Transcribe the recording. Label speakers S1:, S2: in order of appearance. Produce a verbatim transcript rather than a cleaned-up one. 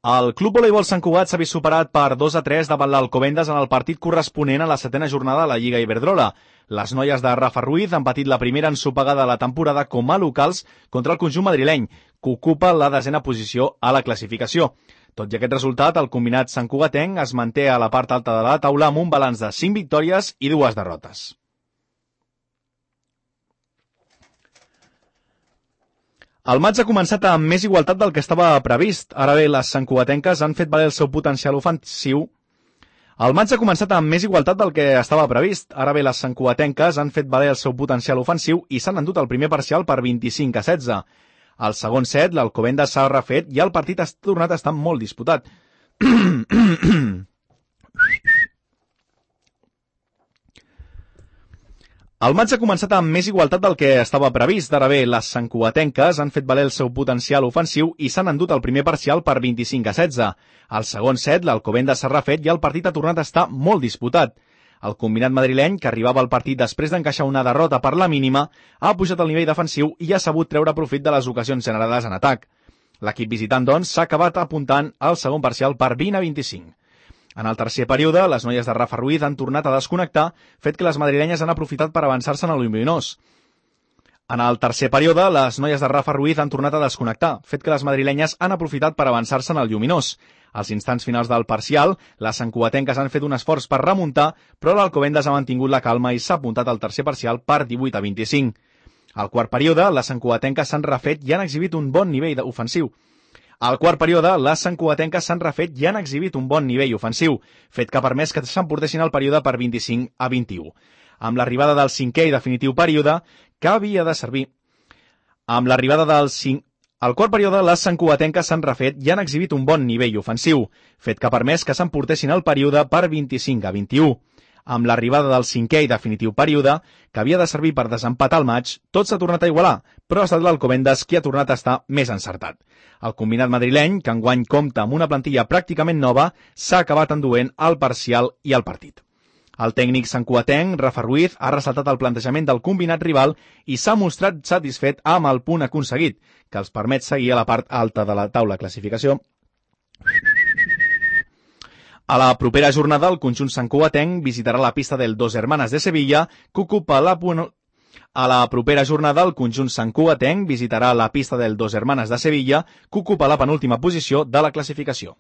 S1: El Club Voleibol Sant Cugat s'ha vist superat per dos a tres davant l'Alcobendas en el partit corresponent a la setena jornada de la Lliga Iberdrola. Les noies de Rafa Ruiz han patit la primera ensopegada de la temporada com a locals contra el conjunt madrileny, que ocupa la desena posició a la classificació. Tot i aquest resultat, el combinat santcugatenc es manté a la part alta de la taula amb un balanç de cinc victòries i dues derrotes. El maig ha començat amb més igualtat del que estava previst. Ara bé, les santcugatenques han fet valer el seu potencial ofensiu. El maig ha començat amb més igualtat del que estava previst. Ara bé, les santcugatenques han fet valer el seu potencial ofensiu i s'han endut el primer parcial per vint-i-cinc a setze. Al segon set, l'Alcobendas s'ha refet i el partit ha tornat a estar molt disputat. El maig ha començat amb més igualtat del que estava previst. Ara bé, les santcugatenques han fet valer el seu potencial ofensiu i s'han endut el primer parcial per vint-i-cinc a setze. Al segon set, l'Alcobendas s'ha refet i el partit ha tornat a estar molt disputat. El combinat madrileny, que arribava al partit després d'encaixar una derrota per la mínima, ha pujat el nivell defensiu i ha sabut treure profit de les ocasions generades en atac. L'equip visitant, doncs, s'ha acabat apuntant al segon parcial per vint a vint-i-cinc. En el tercer període, les noies de Rafa Ruiz han tornat a desconnectar, fet que les madrilenyes han aprofitat per avançar-se en el lluminós. En el tercer període, les noies de Rafa Ruiz han tornat a desconnectar, fet que les madrilenyes han aprofitat per avançar-se en el lluminós. Als instants finals del parcial, les santcugatenques han fet un esforç per remuntar, però l'Alcobendas ha mantingut la calma i s'ha apuntat al tercer parcial per divuit a vint-i-cinc. Al quart període, les santcugatenques s'han refet i han exhibit un bon nivell ofensiu. Al quart període, les santcugatenques s'han refet i han exhibit un bon nivell ofensiu, fet que ha permès que s'emportessin el període per vint-i-cinc a vint-i-u. Amb l'arribada del cinquè i definitiu període, que havia de servir. Amb l'arribada del cinc... Al quart període, les santcugatenques s'han refet i han exhibit un bon nivell ofensiu, fet que ha permès que s'emportessin el període per vint-i-cinc a vint-i-u. Amb l'arribada del cinquè i definitiu període, que havia de servir per desempatar el maig, tot s'ha tornat a igualar, però ha estat l'Alcobendas qui ha tornat a estar més encertat. El combinat madrileny, que enguany compta amb una plantilla pràcticament nova, s'ha acabat enduent el parcial i el partit. El tècnic santcugatenc, Rafa Ruiz, ha ressaltat el plantejament del combinat rival i s'ha mostrat satisfet amb el punt aconseguit, que els permet seguir a la part alta de la taula de classificació. A la propera jornada, el conjunt santcugatenc visitarà la pista del Dos Hermanas de Sevilla, que ocupa la... A la propera jornada, el conjunt santcugatenc visitarà la pista del Dos Hermanas de Sevilla, que ocupa la penúltima posició de la classificació.